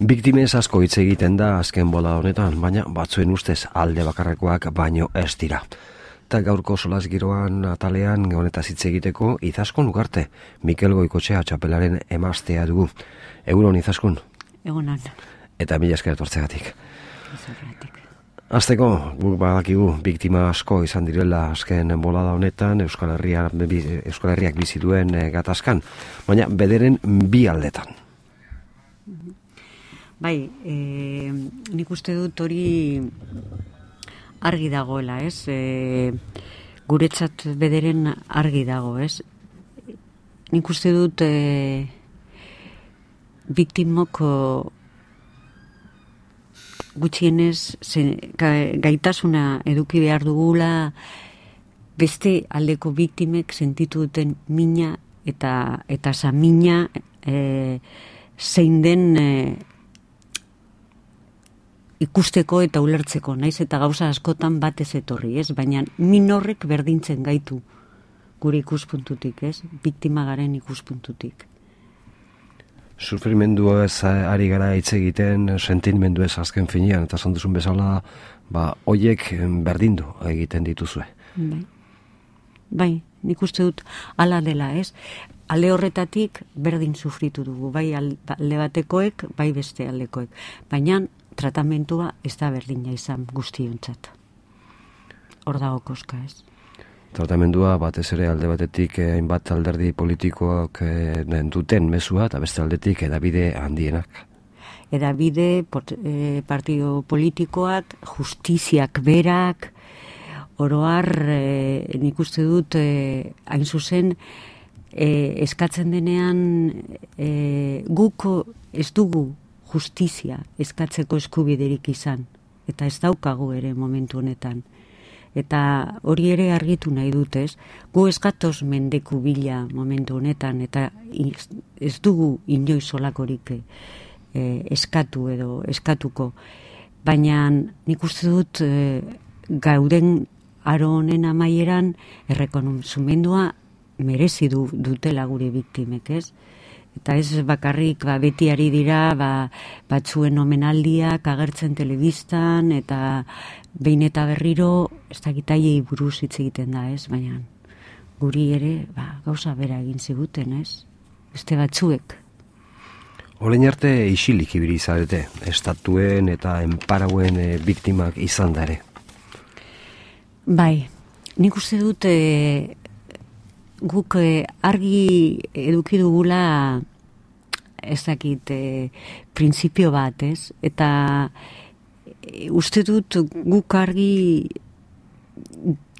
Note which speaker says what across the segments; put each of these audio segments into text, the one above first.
Speaker 1: Biktimez asko hitz egiten da azken bola honetan, baina batzuen ustez alde bakarrekoak baino ez dira. Eta gaurko solas giroan atalean honetaz hitz egiteko Izaskun Ugarte, Mikel Goikotxea txapelaren emaztea dugu. Egunon Izaskun.
Speaker 2: Egunon.
Speaker 1: Eta mila esker etortzegatik. Hasteko, guk badakigu biktima asko izan direla azken bolada honetan Euskal Herriak bizi duen gatazkan, baina bederen bi aldetan.
Speaker 2: Bai, nik uste dut hori argi dagoela, ez? Guretzat bederen argi dago, ez? Nik uste dut biktimok gutxienez gaitasuna eduki behar dugula beste aldeko biktimek sentitu duten mina eta samina zein den ikusteko eta ulertzeko, naiz eta gauza askotan batez etorri, ez? Baina min horrek berdintzen gaitu gure ikuspuntutik, ez? Biktima garen ikuspuntutik.
Speaker 1: Sufrimendua ez ari gara hitz egiten, sentimendu ez azken finean, eta esan duzun bezala, hoiek berdindu egiten dituzue.
Speaker 2: Bai, nik uste dut hala dela, ez? Alde horretatik berdin sufritu dugu, bai alde batekoek, bai beste aldekoek. Baina tratamentua ez da berdina izan guztiontzat. Hor dago koska, ez?
Speaker 1: Tratamendua batez ere alde batetik hainbat alderdi politikoak duten mezua eta beste aldetik edabide handienak.
Speaker 2: Edabide, partido politikoak, justiziak berak, oroar nik uste dut hain zuzen eskatzen denean guk ez dugu justizia eskatzeko eskubiderik izan, eta ez daukagu ere momentu honetan. Eta hori ere argitu nahi dut, ez? Gu ez gatoz mendeku bila momentu honetan, eta ez dugu inoiz olakorik eskatu edo eskatuko. Baina nik uste dut gauden aro honen amaieran errekonozimendua merezi dutela gure biktimek, ez? Eta ez bakarrik beti ari dira batzuen omenaldiak agertzen telebistan eta behin eta berriro ez dakitaiei buruz hitz egiten da, ez? Baina guri ere gauza bera egin ziguten, ez? Beste batzuek.
Speaker 1: Orain arte isilik ibili zarete, estatuen eta enparauen biktimak izan da ere.
Speaker 2: Bai, nik uste dut guk argi eduki dugula ez dakit printzipio bat, ez? Eta uste dut guk argi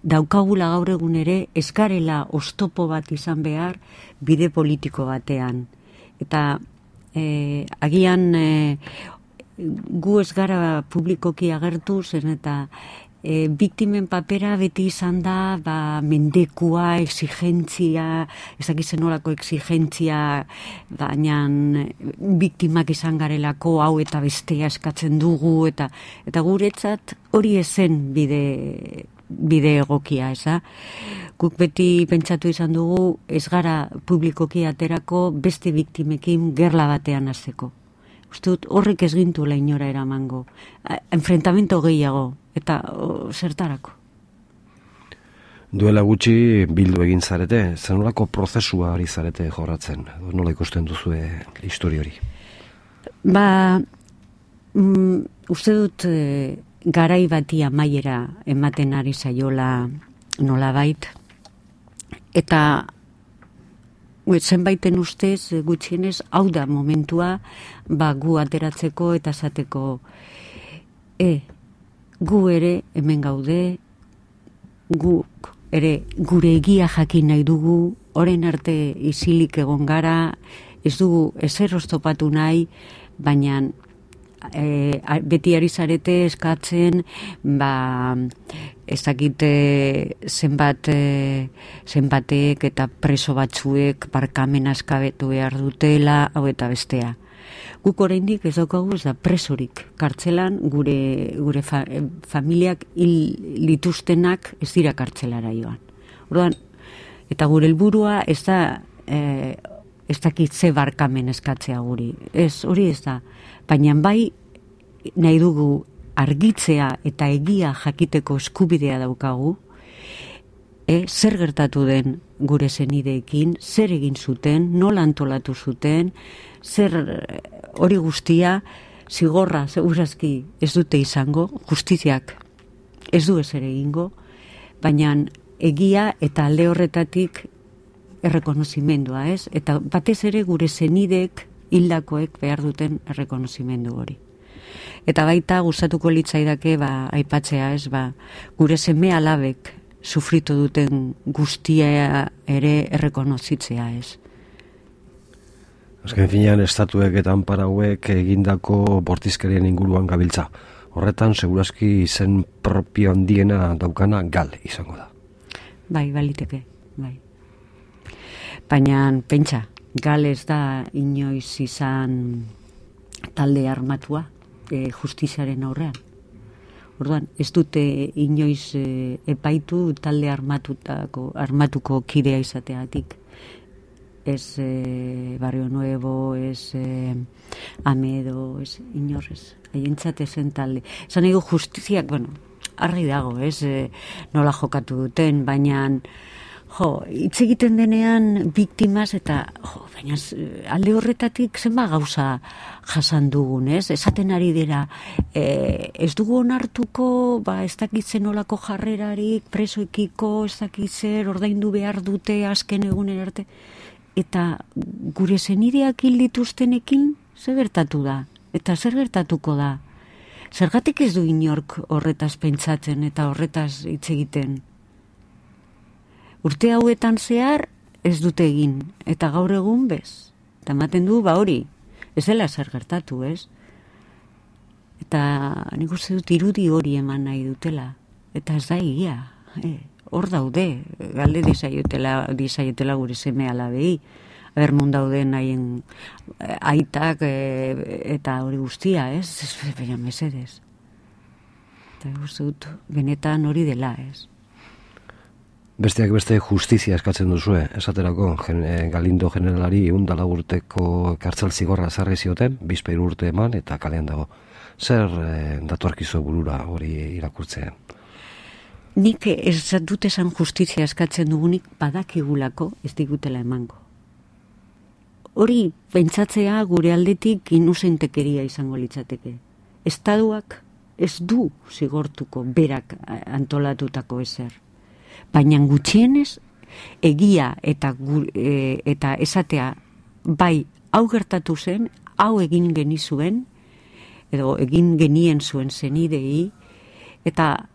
Speaker 2: daukagula gaur egun ere ez garela oztopo bat izan behar bide politiko batean. Eta agian gu ez gara publikoki agertu zen eta biktimen papera beti izan da mendekua, exigentzia, ez dakizen olako exigentzia, baina biktimak izan garelako hau eta bestea eskatzen dugu, eta guretzat hori ezen bide egokia, eza? Guk beti pentsatu izan dugu ez gara publikoki aterako beste biktimekin gerla batean hasteko. Uste dut horrek ez gintuela inora eramango. Enfrentamento gehiago. Eta zertarako.
Speaker 1: Duela gutxi bildu egin zarete, zer nolako prozesua ari zarete jorratzen? Nola ikusten duzue histori hori?
Speaker 2: Uste dut garai bati amaiera ematen ari zaiola nolabait. Eta zenbaiten ustez gutxienez hau da momentua gu ateratzeko eta esateko gu ere hemen gaude, guk ere gure egia jakin nahi dugu, orain arte isilik egon gara, ez dugu ezer oztopatu nahi, baina beti ari zarete eskatzen, ez dakite zenbatek eta preso batzuek barkamena eskabetu behar dutela, hau eta bestea. Guk oraindik ez daukagu ez da presorik kartzelan, gure familiak hil dituztenak ez dira kartzelara joan. Orduan, eta gure helburua ez da ez dakit ze barkamen eskatzea guri. Ez, hori ez da. Baina bai nahi dugu argitzea eta egia jakiteko eskubidea daukagu, zer gertatu den gure senideekin, zer egin zuten, nola antolatu zuten, zer hori guztia, zigorra, segurazki ez dute izango, justiziak ez du ezer egingo, baina egia eta alde horretatik errekonozimendua, ez? Eta batez ere gure senideek hildakoek behar duten errekonozimendu hori. Eta baita gustatuko litzaidake aipatzea, ez, gure seme alabek sufritu duten guztia ere errekonozitzea, ez.
Speaker 1: Azken finean, estatuek eta anparauek egindako bortizkerien inguruan gabiltza. Horretan, segurazki izen propio handiena daukana gal izango da.
Speaker 2: Bai, baliteke, bai. Baina, pentsa, gal ez da inoiz izan talde armatua justiziaren aurrean. Orduan, ez dute inoiz epaitu talde armatuko kidea izateatik. Ez Barrio Nuevo, ez Amedo, ez inorrez. Haientzat ezen talde. Esan ego justiziak, argi dago, ez nola jokatu duten, baina hitz egiten denean biktimaz eta baina alde horretatik zenba gauza jasan dugun, ez? Esaten ari dira, ez dugu onartuko, ez dakitzen nolako jarrerarik, presoekiko, ez dakitzer, ordaindu behar dute azken egunen arte. Eta gure senideak hil dituztenekin zer gertatu da? Eta zer gertatuko da? Zergatik ez du inork horretaz pentsatzen eta horretaz hitz egiten? Urte hauetan zehar ez dute egin, eta gaur egun bez. Eta ematen du, hori, ez dela zer gertatu, ez? Eta nik uste dut irudi hori eman nahi dutela. Eta ez da egia, hor daude, galde dizaiotela gure seme alabei, bermun dauden haien aitak eta hori guztia, ez? Baina mesedez. Eta uste dut, benetan hori dela, ez?
Speaker 1: Besteak beste justizia eskatzen duzue, esaterako Galindo generalari 104 urteko kartzel zigorra ezarri zioten, 23 urte eman eta kalean dago. Zer datorkizu burura hori irakurtzean?
Speaker 2: Nik ez dut esan justizia eskatzen dugunik badakigulako ez digutela emango. Hori pentsatzea gure aldetik inuzentekeria izango litzateke. Estatuak ez du zigortuko berak antolatutako ezer. Baina gutxienez egia eta esatea bai hau gertatu zen, hau egin genizuen, edo egin genien zuen zenidei, eta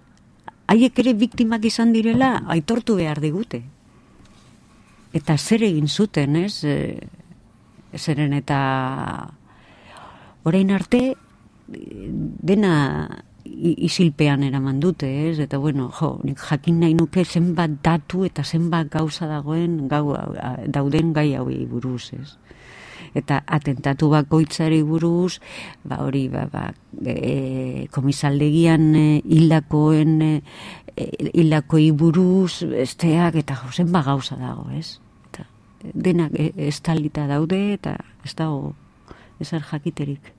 Speaker 2: haiek ere biktimak izan direla aitortu behar digute. Eta zer egin zuten, ez? Zeren eta orain arte dena isilpean eraman dute, ez? Eta nik jakin nahi nuke zenbat datu eta zenbat gauza dauden gai hauei buruz, ez? Eta atentatu bakoitzari buruz, komisaldegian hildakoi buruz, besteak, eta zenbat gauza dago, ez? Eta denak estalita daude, eta ez dago ezer jakiterik.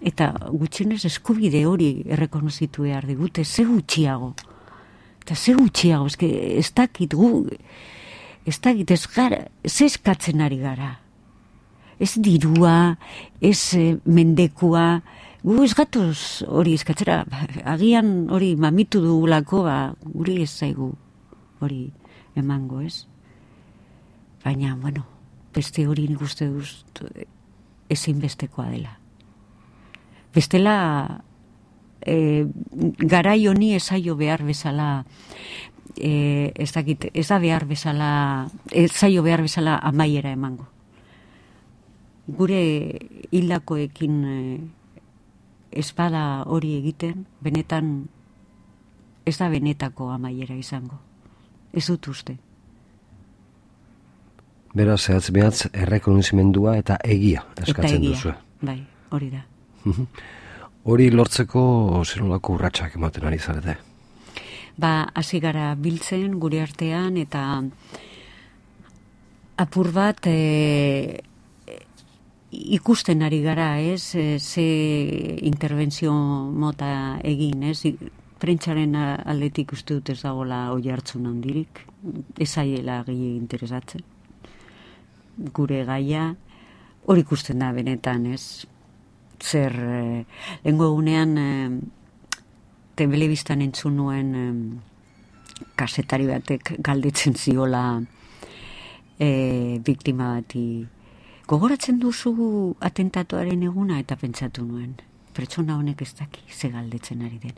Speaker 2: Eta gutxienez eskubide hori errekonozitu behar digute, ze gutxiago. Eta ze gutxiago, ez dakit ze eskatzen ari gara. Ez dirua, ez mendekua, gu ez gatoz hori eskatzera, agian hori mamitu dugulako, guri ez zaigu hori emango, ez? Baina, beste hori nik uste dut ezinbestekoa dela. Bestela, garai honi esaio behar bezala, ez zaio behar bezala amaiera emango. Gure hildakoekin espada hori egiten, benetan, ez da benetako amaiera izango. Ez dut uste.
Speaker 1: Beraz, zehatz behatz, errekonozimendua eta egia eskatzen duzu.
Speaker 2: Bai, hori da.
Speaker 1: Hori lortzeko zenolako urratsak ematen ari zarete?
Speaker 2: Hasi gara biltzen gure artean eta apur bat ikusten ari gara, ez, ze interbentzio mota egin, ez, prentsaren aldetik uste dut ez dagoela oi hartzun handirik, ez aiela gehi interesatzen. Gure gaia, hori ikusten da benetan, ez, zer, lehengo egunean, telebistan entzun nuen kasetari batek galdetzen ziola biktima bati. Gogoratzen duzu atentatuaren eguna, eta pentsatu nuen. Pertsona honek ez daki ze galdetzen ari den.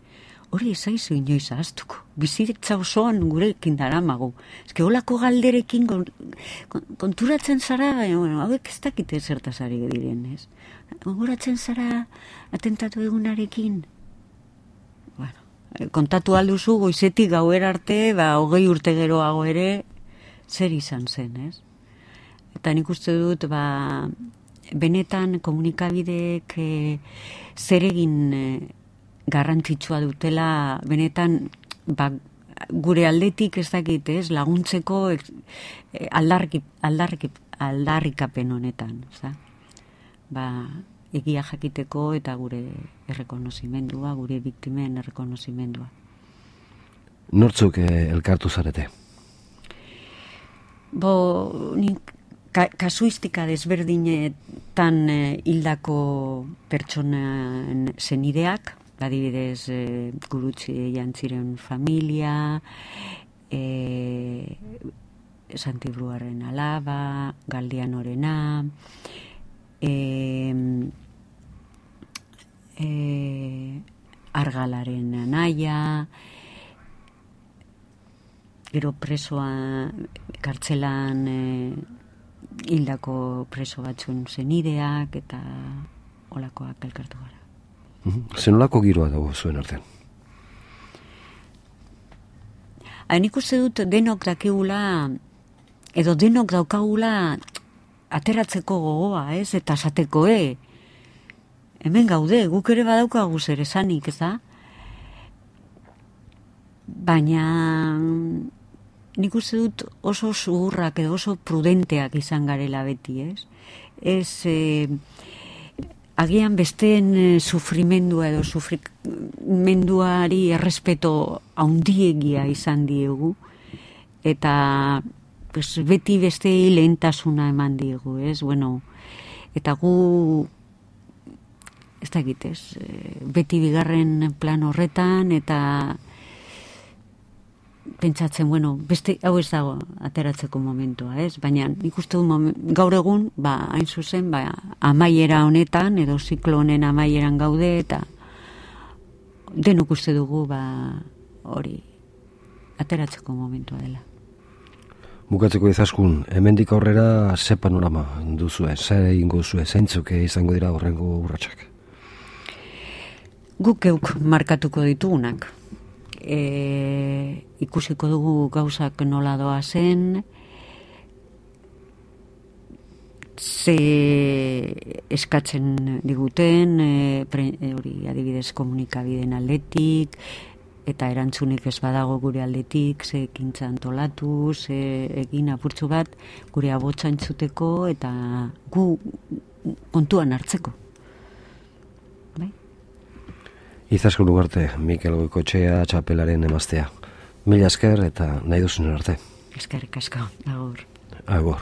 Speaker 2: Hori ezaizu inoiz ahaztuko. Bizitza osoan gurekin daramagu. Eske holako galderekin konturatzen zara, hauek ez dakite zertaz ari diren, ez? Gogoratzen zara atentatu egunarekin. Bueno, kontatu alduzu goizetik gauera arte, 20 urte geroago ere, zer izan zen, ez? Eta nik uste dut, benetan komunikabideek zer egin garrantzitsua dutela, benetan gure aldetik ez dakit, ez, laguntzeko aldarrikapen honetan, za? Egia jakiteko eta gure errekonozimendua, gure biktimen errekonozimendua.
Speaker 1: Nortzuk elkartu zarete?
Speaker 2: Nik kasuistika desberdinetan hildako pertsonen zenideak, adibidez Gurutze Jantziren familia, Santibruaren alaba, Galdianorena, Argalaren anaia, gero presoa kartzelan hildako preso batzuen zenideak eta olakoak elkartu gara.
Speaker 1: Zenolako giroa dago zuen artean?
Speaker 2: Nik uste dut denok dakigula, edo denok daukagula ateratzeko gogoa, ez? Eta esateko, hemen gaude, guk ere badaukagu zer esanik, ez da? Baina nik uste dut oso zuhurrak edo oso prudenteak izan garela beti, ez? Agian besteen sufrimendua edo sufrimenduari errespeto haundiegia izan diegu, eta beti bestei lehentasuna eman diegu, ez? Bueno, eta gu, ez da egitez, beti bigarren plan horretan, eta pentsatzen, beste hau ez dago ateratzeko momentua, ez? Baina nik uste dut gaur egun, hain zuzen, amaiera honetan, edo ziklo honen amaieran gaude, eta denok uste dugu, hori, ateratzeko momentua dela.
Speaker 1: Bukatzeko Izaskun, hemendik aurrera ze panorama duzue, ze egingo duzue, zeintzuk izango dira horrengo urratsak?
Speaker 2: Guk geuk markatuko ditugunak. Ikusiko dugu gauzak nola doa zen, ze eskatzen diguten, hori adibidez komunikabideen aldetik, eta erantzunik ez badago gure aldetik, ze ekintza antolatu, ze egin apurtzu bat, gure abotsa entzuteko, eta gu kontuan hartzeko.
Speaker 1: Izaskun Ugarte, Mikel Goikoetxea txapelaren emaztea. Mila esker eta nahi duzun arte.
Speaker 2: Eskerrik asko, agur.
Speaker 1: Agur.